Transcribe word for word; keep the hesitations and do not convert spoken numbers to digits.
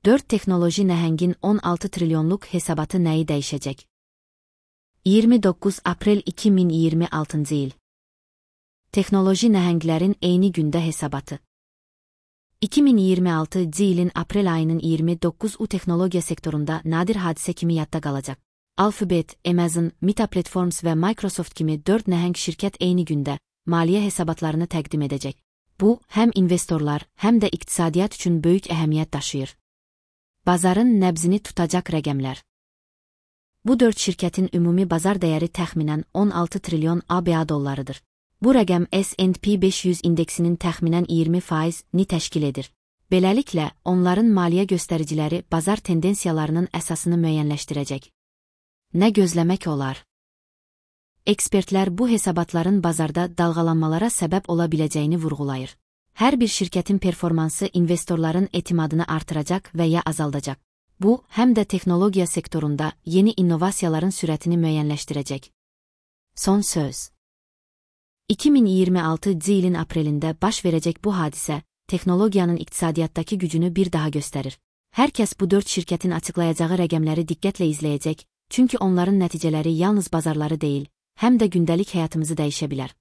dörd texnoloji nəhəngin on altı trilyonluq hesabatı nəyi dəyişəcək? iyirmi doqquz aprel iki min iyirmi altıncı il. Texnoloji nəhənglərin eyni gündə hesabatı. iki min iyirmi altıncı ilin aprel ayının iyirmi doqquzu texnologiya sektorunda nadir hadisə kimi yadda qalacaq. Alphabet, Amazon, Meta Platforms və Microsoft kimi dörd nəhəng şirkət eyni gündə maliyyə hesabatlarını təqdim edəcək. Bu, həm investorlar, həm də iqtisadiyyat üçün böyük əhəmiyyət daşıyır. Bazarın nəbzini tutacaq rəqəmlər. Bu dörd şirkətin ümumi bazar dəyəri təxminən on altı trilyon ABŞ dollarıdır. Bu rəqəm S and P beş yüz indeksinin təxminən iyirmi faizini təşkil edir. Beləliklə, onların maliyyə göstəriciləri bazar tendensiyalarının əsasını müəyyənləşdirəcək. Nə gözləmək olar? Ekspertlər bu hesabatların bazarda dalğalanmalara səbəb ola biləcəyini vurğulayır. Hər bir şirkətin performansı investorların etimadını artıracaq və ya azaldacaq. Bu, həm də texnologiya sektorunda yeni innovasiyaların sürətini müəyyənləşdirəcək. Son söz. iki min iyirmi altıncı ilin aprelində baş verəcək bu hadisə, texnologiyanın iqtisadiyyatdakı gücünü bir daha göstərir. Hər kəs bu dörd şirkətin açıqlayacağı rəqəmləri diqqətlə izləyəcək, çünki onların nəticələri yalnız bazarları deyil, həm də gündəlik həyatımızı dəyişə bilər.